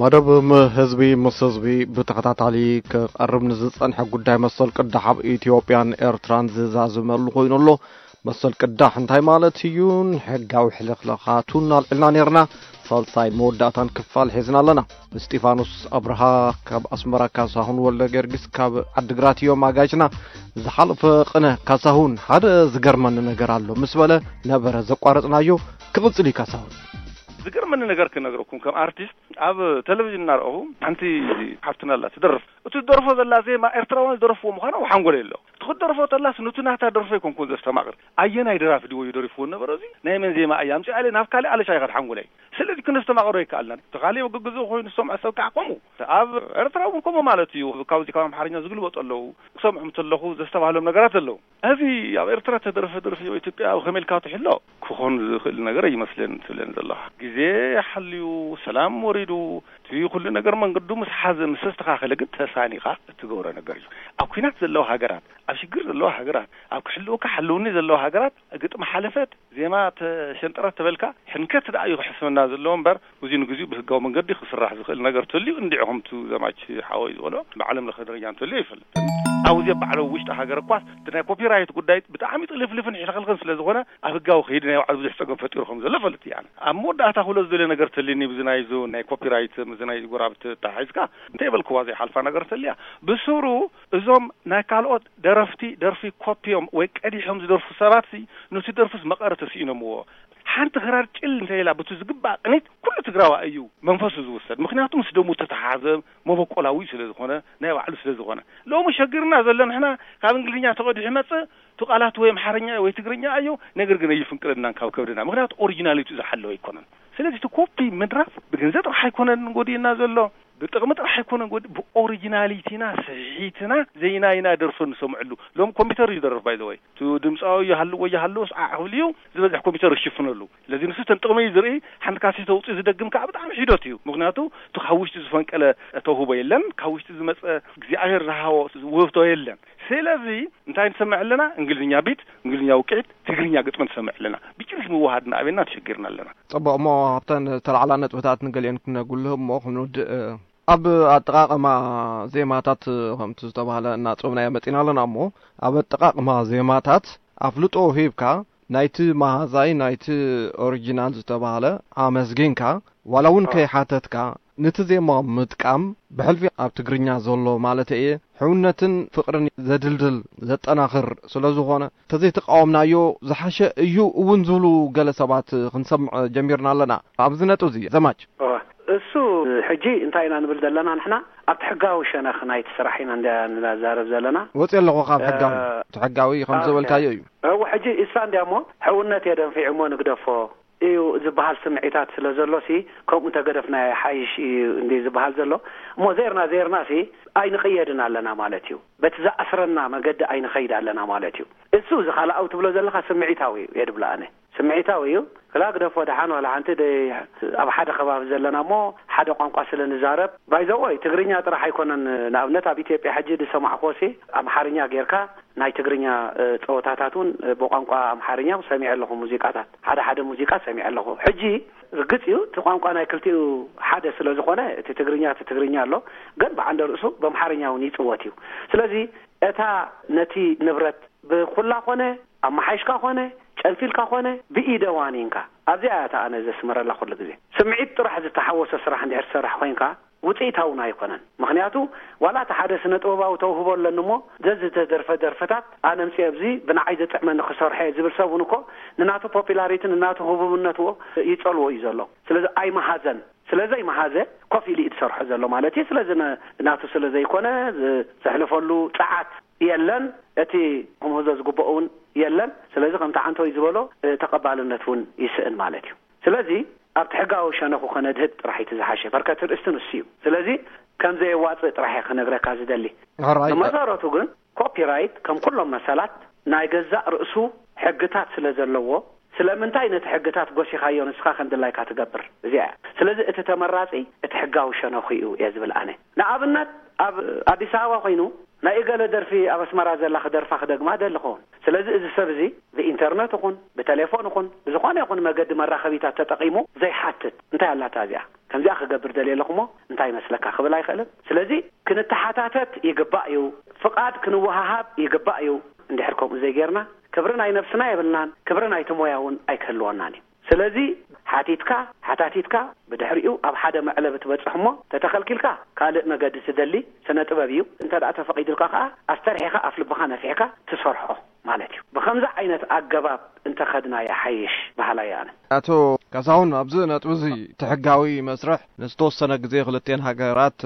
መደብ ም-፣ ህዝቢ ምስ ህዝቢ ብተኸታታሊ ክቐርብ ንዝጸንሐ ጉዳይ መሰል ቅዳሕ ኣብ ኢትዮጵያን ኤርትራን ዝዛዝመሉ ኮይኑ ኣሎ። መሰል ቅዳሕ እንታይ ማለት እዩ? ሕጋዊ ሕልኽለኻቱን ኣልዒልና ነርና። ሳልሳይ መወዳእታን ክፋል ሒዝና ኣለና። እስጢፋኖስ ኣብርሃ ካብ ኣስመራ፣ ካሳሁን ወልደ ጊዮርጊስ ካብ ዓድግራት እዮም ኣጋይሽና። ዝሓለፈ ቅነ ካሳሁን ሓደ ዝገርመኒ ነገር ኣሎ ምስ በለ ነበረ ዘቋረጽናዮ። ክቕጽል እዩ ካሳሁን። ዝገርመኒ ነገር ክነግረኩም፣ ከም ኣርቲስት ኣብ ቴሌቪዥን እናረኣኹ ሓንቲ ሓፍትና ኣላ ትደርፍ። እቲ ትደርፎ ዘላ ዜማ ኤርትራውያን ዝደረፍዎ ምዃኑ ኣብ ሓንጎለይ ኣሎ። እቲ ክትደርፎ ተላስ ኑቲ ናታ ደርፎ ኣይኮንኩን ዘስተማቕር። ኣየናይ ደራፊ ድዩ ደሪፍዎ ነበረ? እዚ ናይ መን ዜማ እያ? ኣምጺኣ ኢለ ናብ ካልእ ኣለሻ ይኸድ ሓንጎለይ። ስለዚ ክነስተማቕሮ ኣይከኣልናን። እቲ ካልእ ግግዙ ኮይኑ ዝሰምዖ ሰብ ከዓ ከምኡ። ኣብ ኤርትራ እውን ከምኡ ማለት እዩ። ካብዚ ካብ ኣምሓርኛ ዝግልበጡ ኣለዉ። ክሰምዖም እንተለኹ ዘስተባህሎም ነገራት ኣለዉ። እዚ ኣብ ኤርትራ ተደረፈ ደርፊ ኣብ ኢትዮጵያ ኣብ ከመይ ኢልካ ትሕሎ? ክኾን ዝኽእል ነገር ኣይመስለን ትብለን ዘለኻ። ግዜ ሓልዩ፣ ሰላም ወሪዱ፣ እቲ ኩሉ ነገር መንገዱ ምስ ሓዘ፣ ምስ ተስተኻኸለ ግን ተሳኒኻ እትገብሮ ነገር እዩ። ኣብ ኲናት ዘለዋ ሃገራት፣ ኣብ ሽግር ዘለዋ ሃገራት፣ ኣብ ክሕልወካ ሓልውኒ ዘለዋ ሃገራት ግጥሚ ሓለፈት፣ ዜማ ተሸንጠረት ተበልካ ሕንከት ደኣ እዩ ክሕስበና ዘለዎ እምበር፣ እዚ ንግዚኡ ብህጋዊ መንገዲ ክስራሕ ዝኽእል ነገር ተልዩ እንዲዑ ከምቱ ዘማች ሓወይ ዝበሎ ብዓለም ለኸ ደረጃ እንተልዩ ኣይፈልጥን። ኣብዚ ኣብ ባዕሉ ውሽጢ ሃገር እኳስ እቲ ናይ ኮፒራይት ጉዳይ ብጣዕሚ ጥልፍልፍን ሕልኽልኽን ስለ ዝኾነ ኣብ ህጋዊ ከይዲ ናይ ባዕሉ ብዙሕ ጸገም ፈጢሩ ከም ዘሎ ፈልጥ እየ ኣነ። ኣብ መወዳእታ ክብሎ ዝደልዮ ነገር ተልዩኒ ብዚ ናይ ዞ ናይ ኮፒራይት፣ እዚ ናይ ጎራብቲ ተታሒዝካ እንተይበልክዋ ዘይሓልፋ ነገር ተልያ። ብስሩ እዞም ናይ ካልኦት ደረፍቲ ደርፊ ኮፒዮም ወይ ቀዲሖም ዝደርፉ ሰባት ሲ ኑቲ ደርፍስ መቐረ ተስኢኖምዎ። ሓንቲ ክራር ጭል እንተ ኢላ ብቱ ዝግባእ ቅኒት ኩሉ ትግራዋ እዩ መንፈሱ ዝውሰድ። ምክንያቱ ምስ ደሙ ተተሓዘ መበቆላዊ ስለ ዝኾነ፣ ናይ ባዕሉ ስለ ዝኾነ። ሎሚ ሸጊርና ዘሎ ንሕና ካብ እንግሊዝኛ ተቐዲሑ ይመጽእ፣ እቲ ቃላት ወይ ኣምሓርኛ ወይ ትግርኛ እዩ፣ ነገር ግን ኣይፍንቅለናን ካብ ከብድና። ምክንያቱ ኦሪጂናሊቱ ዝሓለወ ኣይኮነን። ስለዚ እቲ ኮፒ ምድራፍ ብገንዘብ ጥራሕ ኣይኮነን ጎዲእና ዘሎ፣ ብጥቕሚ ጥራሕ ኣይኮነን ጎዲ-፣ ብኦሪጂናሊቲና፣ ስሒትና፣ ዘይናይና ደርፊ ንሰምዐሉ። ሎም ኮምፒውተር እዩ ደርፍ ባይ ዘ ወይ። እቲ ድምፃዊ ይሃልዎ ይሃልዎ ስዓዕ ክብል እዩ፣ ዝበዝሕ ኮምፒውተር ይሽፍነሉ። ስለዚ ንሱ ተን ጥቕሚ እዩ ዝርኢ፣ ሓንቲ ካሴት ተውፅእ ዝደግም ከዓ ብጣዕሚ ሒደት እዩ። ምክንያቱ እቲ ካብ ውሽጢ ዝፈንቀለ ተውህቦ የለን፣ ካብ ውሽጢ ዝመፀ እግዚኣብሔር ዝሃቦ ውህብቶ የለን። ስለዚ እንታይ ንሰምዕ ኣለና? እንግሊዝኛ ቢት፣ እንግሊዝኛ ውቅዒት፣ ትግርኛ ግጥሚ ንሰምዕ ኣለና። ብጭርሽ ምውሃድና ኣበና ተሸጊርና ኣለና። ጽቡቕ፣ እሞ ኣብተን ዝተላዕላ ነጥብታት ንገሊአን ክነጉልህ እሞ ክንውድእ፣ ኣብ ኣጠቓቕማ ዜማታት ከምቲ ዝተባህለ እናጸብናዮ መጺና ኣለና እሞ፣ ኣብ ኣጠቓቕማ ዜማታት ኣፍልጦ ሂብካ ናይቲ መሃዛይ፣ ናይቲ ኦሪጂናል ዝተባህለ ኣመስጊንካ፣ ዋላ እውን ከይሓተትካ፣ ነቲ ዜማ ምጥቃም ብሕልፊ ኣብ ትግርኛ ዘሎ ማለት እየ፣ ሕውነትን ፍቕርን ዘድልድል፣ ዘጠናኽር ስለ ዝኾነ፣ ተዘይተቃወምናዮ ዝሓሸ እዩ እውን ዝብሉ ገለ ሰባት ክንሰምዕ ጀሚርና ኣለና። ኣብዚ ነጥቢ እዚ ዘማች። እዋ፣ እሱ ሕጂ እንታይ ኢና ንብል ዘለና ንሕና? ኣብቲ ሕጋዊ ሸነኽ ናይቲ ስራሕ ኢና እንዳ ንዛረብ ዘለና። ወፂ ኣለኹ ካብ ሕጋዊ። እ፣ እቲ ሕጋዊ ከም ዝበልካዮ እዩ። እወ፣ ሕጂ እሳ እንዲያ እሞ ሕውነት እየ ደንፊዑ እሞ ንግደፎ እዩ ዝበሃል ስምዒታት ስለ ዘሎ ሲ፣ ከምኡ እንተገደፍና ይሓይሽ እዩ እንዲ ዝበሃል ዘሎ። እሞ ዜርና ዜርና ሲ ኣይንቕየድን ኣለና ማለት እዩ። በቲ ዝኣስረና መገዲ ኣይንኸይድ ኣለና ማለት እዩ። እሱ እዚ ካልኣዊ ትብሎ ዘለኻ ስምዒታዊ እዩ፣ የድብሎ ኣነ። ስምዒታዊ እዩ። ክላ ግደፎ ደሓን ዋላ ሓንቲ ደይ ኣብ ሓደ ከባቢ ዘለና እሞ ሓደ ቋንቋ ስለ ንዛረብ፣ ባይ ዘ ወይ ትግርኛ ጥራሕ ኣይኮነን። ንኣብነት ኣብ ኢትዮጵያ ሕጂ ዝሰማዕክዎ ሲ ኣምሓርኛ ጌርካ ናይ ትግርኛ፣ እ፣ ጸወታታት እውን፣ እ፣ ብቋንቋ ኣምሓርኛ ሰሚዐ ኣለኹ፣ ሙዚቃታት፣ ሓደ ሓደ ሙዚቃ ሰሚዐ ኣለኹ። ሕጂ ርግጽ እዩ፣ እቲ ቋንቋ ናይ ክልቲኡ ሓደ ስለ ዝኾነ፣ እቲ ትግርኛ፣ እቲ ትግርኛ ኣሎ፣ ግን ብዓንደ ርእሱ ብኣምሓርኛ እውን ይጽወት እዩ። ስለዚ እታ ነቲ ንብረት ብኹላ ኮነ፣ ኣመሓይሽካ ኮነ፣ ጨንፊልካ ኮነ፣ ብኢደ ዋኒንካ። ኣብዚኣ እያ እታ ኣነ ዘስምረላ ኩሉ ግዜ። ስምዒት ጥራሕ ዝተሓወሶ ስራሕ እንድሕር ትሰርሕ ኮይንካ፣ ውፅኢታውን ኣይኮነን። ምክንያቱ፣ ዋላ እቲ ሓደ ስነ ጥበባዊ ተውህቦ ኣለኒ እሞ፣ ዘዝተደርፈ ደርፍታት ኣነ ኣምፅኤ ኣብዚ ብንዓይ ዘጥዕመኒ ክሰርሖ እየ ዝብል ሰብ እውን እኮ፣ ንናቱ ፖፒላሪቲ፣ ንናቱ ህቡብነት እዎ ይፀልዎ እዩ ዘሎ። ስለዚ ኣይመሃዘን። ስለ ዘይመሃዘ ኮፍ ኢሉ እዩ ዝሰርሖ ዘሎ ማለት እዩ። ስለዚ ነ-፣ ናቱ ስለ ዘይኮነ ዝ-፣ ዘሕልፈሉ ፀዓት የለን። እቲ ክምህዞ ዝግበኦ እውን የለን። ስለዚ ከምቲ ዓንቶይ ዝበሎ፣ እ፣ ተቐባልነት እውን ይስእን ማለት እዩ። ስለዚ ኣብቲ ሕጋዊ ሸነኹ ከነድህብ ጥራሕ እቲ ዝሓሸ። በርከት ርእስቲ ንሱ እዩ። ስለዚ ከም ዘየዋፅእ ጥራሕ እየ ክነግረካ ዝደሊ። ሕራይ። ብመሰረቱ ግን ኮፒራይት ከም ኩሎም መሰላት ናይ ገዛእ ርእሱ ሕግታት ስለ ዘለዎ፣ ስለምንታይ ነቲ ሕግታት ጎሲኻዮ ንስኻ ከም ድላይካ ትገብር? እዚኣ እያ። ስለዚ እቲ ተመራጺ እቲ ሕጋዊ ሸነኹ እዩ እየ ዝብል ኣነ። ንኣብነት ኣብ ኣዲስ ኣበባ ኮይኑ ናይ እገለ ደርፊ ኣብ ኣስመራ ዘላ ክደርፋ ክደግማ ደሊ ክኸውን። ስለዚ እዚ ሰብ እዚ ብኢንተርነት ይኹን ብቴሌፎን ይኹን ብዝኾነ ይኹን መገዲ መራኸቢታት ተጠቒሙ ዘይሓትት እንታይ ኣላታ እዚኣ ከምዚኣ ክገብር ደልየ ኣለኹሞ እንታይ ይመስለካ ክብል ኣይኽእልን። ስለዚ ክንተሓታተት ይግባእ እዩ፣ ፍቓድ ክንወሃሃብ ይግባእ እዩ። እንድሕር ከምኡ ዘይጌርና ክብሪ ናይ ነብስና የብልናን፣ ክብሪ ናይቲ ሞያ እውን ኣይክህልወናን እዩ። ስለዚ ሓቲትካ ሓታቲትካ ብድሕሪኡ ኣብ ሓደ መዕለቢ ትበጽሕ እሞ ተተኸልኪልካ ካልእ መገዲ ትደሊ ስነ ጥበብ እዩ። እንተ ደኣ ተፈቒዱልካ ከኣ ኣስተርሒኻ ኣፍ ልብኻ ነፊሕካ ትሰርሖ ማለት እዩ። ብኸምዚ ዓይነት ኣገባብ እንተኸድና ይሓይሽ በሃላይ ኣነ። ኣቶ ካሳሁን፣ ኣብዚ ነጥቢ እዚ እቲ ሕጋዊ መስርሕ ንዝተወሰነ ግዜ ክልቲኤን ሃገራት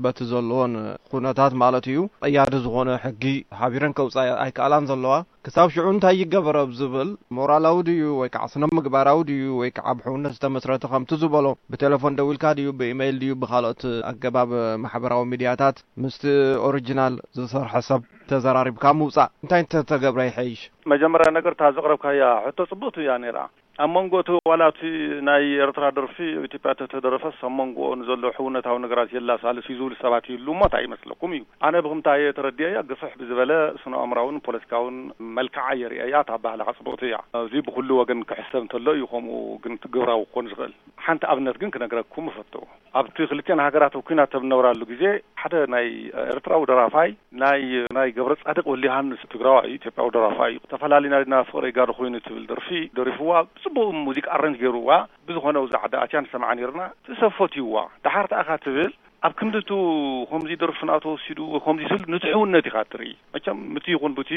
በቲ ዘለዎን ኩነታት ማለት እዩ ቀያዲ ዝኾነ ሕጊ ሓቢረን ከውፃ ኣይከኣላን ዘለዋ። ክሳብ ሽዑ እንታይ ይገበር ኣብ ዝብል ሞራላዊ ድዩ ወይ ከዓ ስነ ምግባራዊ ድዩ ወይ ከዓ ብሕውነት ዝተመስረተ ከምቲ ዝበሎ ብቴሌፎን ደዊልካ ድዩ ብኢመይል ድዩ ብካልኦት ኣገባብ ማሕበራዊ ሚድያታት ምስቲ ኦሪጂናል ዝሰርሐ ሰብ ተዘራሪብካ ምውፃእ እንታይ እንተተገብረ ይሐይሽ? መጀመርያ ነገር እታ ዘቕረብካያ ሕቶ ፅብቕቲ እያ ነይራ። ኣብ መንጎ እቲ ዋላ እቲ ናይ ኤርትራ ደርፊ ኣብ ኢትዮጵያ ተተደረፈስ ኣብ መንጎኦ ንዘሎ ሕውነታዊ ነገራት የላሳልስ እዩ ዝብሉ ሰባት ይህልው እሞ እንታይ ይመስለኩም እዩ። ኣነ ብኽምታ እየ ተረዲኤያ፣ ግፍሕ ብዝበለ ስነ ኣእምራውን ፖለቲካውን መልክዓ የርእየያ፣ እታ ኣባህላኻ ጽብቕቲ እያ። እዚ ብኹሉ ወገን ክሕሰብ እንተሎ እዩ ከምኡ ግን ግብራዊ ክኾን ዝኽእል። ሓንቲ ኣብነት ግን ክነግረኩም እፈቱ። ኣብቲ ክልቲኤን ሃገራት ኣብ ኲናት ኣብ ዝነበራሉ ግዜ ሓደ ናይ ኤርትራዊ ደራፋይ ናይ ናይ ገብረጻድቕ ወልደዮሃንስ ትግራዋይ እዩ፣ ኢትዮጵያዊ ደራፋይ እዩ። ተፈላሊና ዲና ፍቕረይ ጋዶ ኮይኑ ትብል ደርፊ ደሪፍዋ፣ ብጽቡቕ ሙዚቃ ኣረንጅ ገይርዋ። ብዝኾነ ኣብዚ ዓዲ ኣትያ ንሰምዓ ነይርና። እቲ ሰብ ፈትይዋ። ደሓር ተኣኻ ትብል ኣብ ክንዲ እቱ ከምዚ ደርፍና ተወሲዱ ከምዚ ስል ንትሕውነት ኢኻ ትርኢ። መቸም ምቲ ይኹን ቡቲ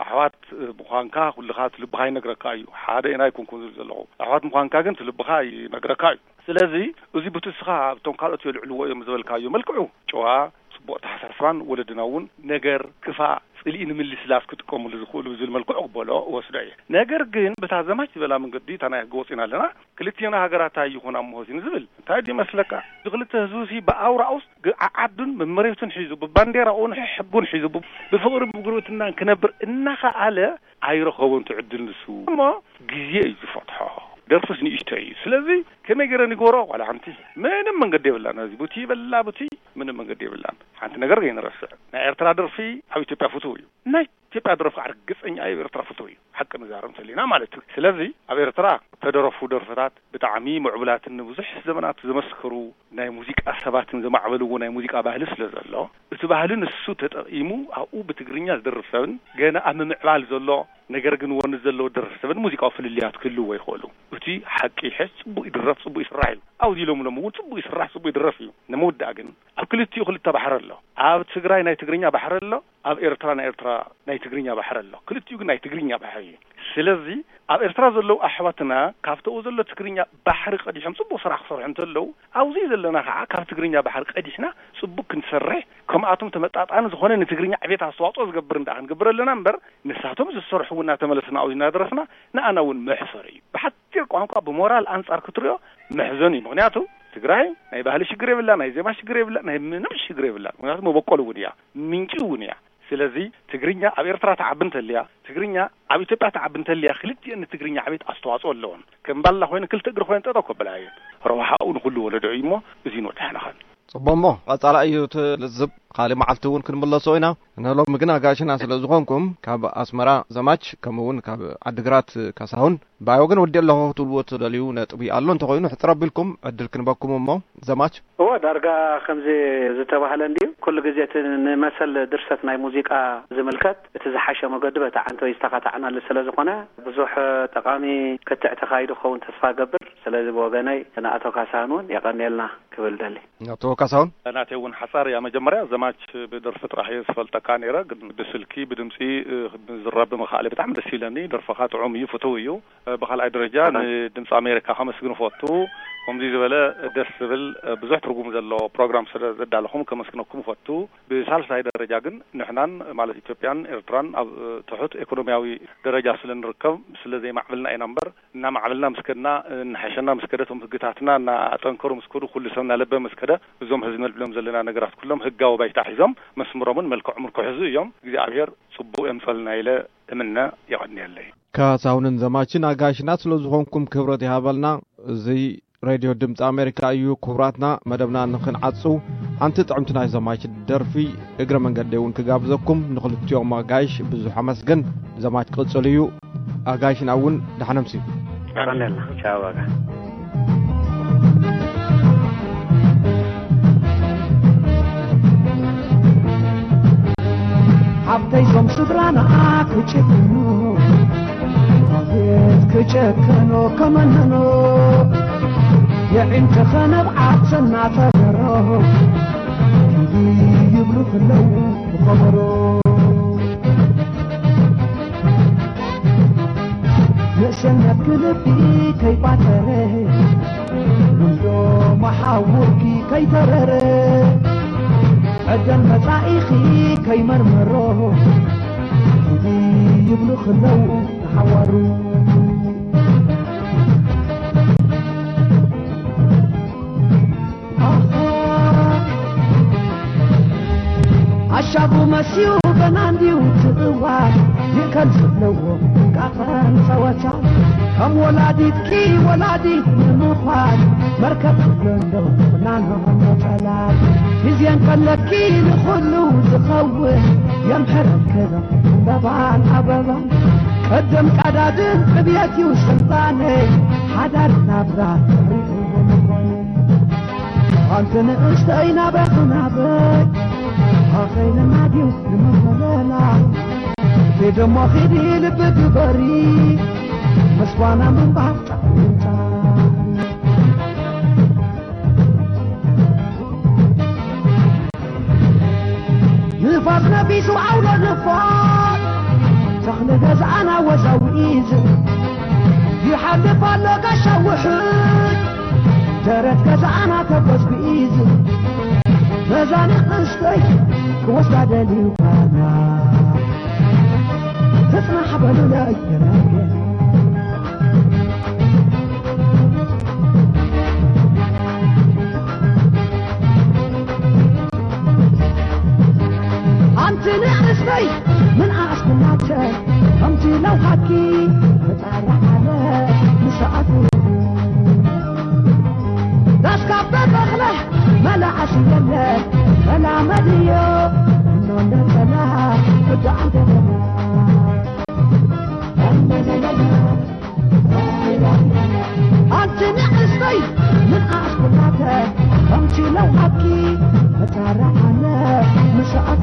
ኣሕዋት ምዃንካ ኩልኻ እቲ ልብኻ ይነግረካ እዩ። ሓደ ኢና ኣይኮንኩን ዝብል ዘለኹ። ኣሕዋት ምዃንካ ግን እቲ ልብኻ ይነግረካ እዩ። ስለዚ እዚ ቡቲ እስኻ ኣብቶም ካልኦት የልዕልዎ እዮም ዝበልካዮ መልክዑ ጨዋ፣ ጽቡቕ ኣተሓሳስባን ወለድና እውን ነገር ክፋእ ጽልኢ ንምልስላስ ክጥቀሙሉ ዝኽእሉ ብዝብል መልክዑ ክበሎ እወስዶ እየ። ነገር ግን ብታ ዘማች ዝበላ መንገዲ እታ ናይ ህገ ወፂና ኣለና ክልቲኤና ሃገራት እንታይ ይኾና እሞ እዚ ንዝብል እንታይ ድዩ መስለካ? እዚ ክልተ ህዝቢ ሲ ብኣውራኡስ ዓዓዱን መመሬቱን ሒዙ ብባንዴራኡን ሕጉን ሒዙ ብፍቕሪ ብጉርብትናን ክነብር እናኸኣለ ኣይረኸቦን ትዕድል ንሱ እሞ ግዜ እዩ ዝፈትሖ። ደርፍስ ንእሽቶ እዩ። ስለዚ ከመይ ገይረ ንግበሮ ዋላ ሓንቲ ምንም መንገዲ የብላን። እዚ ቡቲ ይበላ ቡቲ ምንም መንገዲ የብላን። ሓንቲ ነገር ከይንረስዕ ናይ ኤርትራ ደርፊ ኣብ ኢትዮጵያ ፍትው እዩ። ናይ ኢትዮጵያ ደረፍ ከዓ ርግፀኛ እዩ ኤርትራ ፍትው እዩ ሓቂ ንዛረብ እንተሊና ማለት እዩ። ስለዚ ኣብ ኤርትራ ተደረፉ ደርፍታት ብጣዕሚ ምዕቡላትን ንብዙሕ ዘመናት ዘመስከሩ ናይ ሙዚቃ ሰባትን ዘማዕበልዎ ናይ ሙዚቃ ባህሊ ስለ ዘሎ እቲ ባህሊ ንሱ ተጠቂሙ ኣብኡ ብትግርኛ ዝደርፍ ሰብን ገና ኣብ ምምዕባል ዘሎ ነገር ግን ወኒ ዘለዎ ደርፍ ሰብን ሙዚቃዊ ፍልልያት ክህልዎ ይኽእሉ። እቲ ሓቂ ይሕዝ ጽቡቅ ይድረፍ ጽቡቅ ይስራሕ እዩ። ኣብዚ ኢሎም ሎም እውን ጽቡቅ ይስራሕ ጽቡቅ ይድረፍ እዩ። ንምውዳእ ግን ኣብ ክልቲኡ ክልተ ባሕሪ ኣሎ። ኣብ ትግራይ ናይ ትግርኛ ባሕሪ ኣሎ። ኣብ ኤርትራ ናይ ኤርትራ ናይ ትግርኛ ባሕሪ ኣሎ። ክልቲኡ ግን ናይ ትግርኛ ባሕሪ እዩ። ስለዚ ኣብ ኤርትራ ዘለዉ ኣሕዋትና ካብተኡ ዘሎ ትግርኛ ባሕሪ ቀዲሖም ጽቡቕ ስራሕ ክሰርሑ እንተለዉ ኣብዚ ዘለና ከዓ ካብ ትግርኛ ባሕሪ ቀዲሕና ጽቡቕ ክንሰርሕ ከምኣቶም ተመጣጣኒ ዝኾነ ንትግርኛ ዕቤት ኣስተዋፅኦ ዝገብር እንዳ ክንገብር ኣለና እምበር ንሳቶም ዝሰርሕዎ እናተመለስና ኣብዚ እናደረፍና ንኣና እውን መሕፈሪ እዩ። ብሓፂር ቋንቋ ብሞራል ኣንፃር ክትሪኦ መሕዘን እዩ። ምክንያቱ ትግራይ ናይ ባህሊ ሽግር የብላ፣ ናይ ዜማ ሽግር የብላ፣ ናይ ምንም ሽግር የብላ። ምክንያቱ መበቆል እውን እያ፣ ምንጪ እውን እያ። ስለዚ ትግርኛ ኣብ ኤርትራ ትዓቢ እንተልያ፣ ትግርኛ ኣብ ኢትዮጵያ ትዓቢ እንተልያ፣ ክልቲኤን ንትግርኛ ዕቤት ኣስተዋፅኦ ኣለወን። ከም ባላ ኮይነ ክልተ እግሪ ኮይነ ጠጠው ከብላ እየን። ረብሓኡ ንኩሉ ወለዶ እዩ እሞ እዚ ንወዳሕና ኸን። ፅቡቅ እሞ ቀፃላ እዩ እቲ ልዝብ። ካሊእ መዓልቲ እውን ክንምለሶ ኢና። ንሎሚ ግን ኣጋሽና ስለ ዝኾንኩም ካብ ኣስመራ ዘማች ከምኡ እውን ካብ ዓድግራት ካሳሁን ብኣይ ወገን ወዲ ኣለኹ ክትብልዎ ትደልዩ ነጥቢ ኣሎ እንተኾይኑ ሕፅር ኣቢልኩም ዕድል ክንበኩም እሞ ዘማች። እወ ዳርጋ ከምዚ ዝተባህለ እንድዩ ኩሉ ግዜ እቲ ንመሰል ድርሰት ናይ ሙዚቃ ዝምልከት እቲ ዝሓሸ መገዲ በቲ ዓንተወይ ዝተኻታዕናሉ ስለ ዝኾነ ብዙሕ ጠቓሚ ክትዕ ተኻይዱ ክኸውን ተስፋ ገብር። ስለዚ ብወገነይ ንኣቶ ካሳን እውን የቐንየልና ክብል ደሊ። ኣቶ ካሳሁን። ናተይ እውን ሓፃር እያ። መጀመርያ ዘማች ብደርፊ ጥራሕ እየ ዝፈልጠካ ነይረ፣ ግን ብስልኪ ብድምፂ ምዝራብ ብምኽኣለ ብጣዕሚ ደስ ኢለኒ። ደርፍኻ ጥዑም እዩ፣ ፍትው እዩ። ብኻልኣይ ደረጃ ንድምፂ ኣሜሪካ ከመስግን እፈቱ። ከምዚ ዝበለ ደስ ዝብል ብዙሕ ትርጉም ዘለዎ ፕሮግራም ስለ ዘዳለኹም ከመስግነኩም እፈቱ። ብሳልሳይ ደረጃ ግን ንሕናን ማለት ኢትዮጵያን ኤርትራን ኣብ ትሑት ኢኮኖሚያዊ ደረጃ ስለ ንርከብ ስለ ዘይማዕብልና ኢና እምበር እናማዕበልና ምስ ከድና እናሓሸና ምስ ከደ እቶም ህግታትና እናጠንከሩ ምስ ከዱ ኩሉ ሰብ እናለበ ምስ ከደ እዞም ሕዚ ነልዕሎም ዘለና ነገራት ኩሎም ህጋዊ ባይታ ሒዞም መስምሮምን መልክዖምን ክሕዙ እዮም። እግዚኣብሔር ፅቡቅ የምፀልና ኢለ እምነ። የቐንየለይ። ካሳሁንን ዘማችን ኣጋይሽና ስለ ዝኾንኩም ክብረት ይሃበልና። እዚ ሬድዮ ድምፂ ኣሜሪካ እዩ። ክቡራትና፣ መደብና ንኽንዓጽው ሓንቲ ጥዕምቲ ናይ ዘማች ደርፊ እግረ መንገደይ እውን ክጋብዘኩም። ንኽልቲኦም ኣጋይሽ ብዙሕ ኣመስግን። ዘማች ክቕጽል እዩ። ኣጋይሽና እውን ደሓን ኣምስዩ። ቀንደልና። ቻው ኣጋ። ሓብተይ ዞም ስድራና ክጭክኑ፣ ኣቤት ክጨከኖ ከመነኖ፣ የዒንተ ኸነብ ዓብሰና ተገሮ፣ ይብሉ ክለው ብኸበሮ። ንእሰነት ክልቢ ከይቋተረ፣ ውልዶ መሓውርኪ ከይተረረ፣ ዕደል መጻኢኺ ከይመርመሮ፣ ይብሉ ክለው ንሓዋሩ። ኣሻቡ መስዩ ገና እንዲዩ ትእዋር፣ ይእከል ዘለዎ ጥንቃቐን ጸወታ። ከም ወላዲትኪ ወላዲት ንምዃን፣ መርከብ ትብሎ እንዶ ፍናኖ መጠላት። ግዜ እንከለኪ ንኹሉ ዝኸውን፣ የምሕረልክን ዕምበባን ኣበባን። ቅድም ቀዳድም ዕብየት እዩ ስልጣነ፣ ሓዳር ናብራ ትርኢኡ ምኾነ። ኣንቲ ንእሽተይ ናበይ ክናበይ፣ ኣኸይልና ድዩ ንመኾለላ? ኪድ እሞ ኺዲ ልቢ ግበሪ፣ ምስ ጓና ምንባር ጣዕሚ ጣዕሚ። ንፋስ ነፊሱ ዓውሎ ንፋስ፣ ተኽሊ ገዛና ወዛዊዝ፣ ይሓልፍ ኣሎ ጋሻ ውሕጅ፣ ደረት ገዛና ተጎዝጒዝ። በዛ ንእሽተይ ክወስዳ ደልዩ ጓና፣ ትጽናሕ በሉለይ የናየ። ኣንቲ ንእሽተይ ምንኣስ ኩላተ፣ ከምቲ ለውሃትኪ ተጣራዓለ ንሰኣቱ። ዳስካበ በኽለ መላእስ የለ፣ ሰላመድዮ እኖ እንደጸላ እዳ ኣንተ ኣንቲ ንእሽተይ ምንኣስ ኩላተ፣ ከምቲ ለውሃትኪ ተጣራዓለ ንሰኣቱ።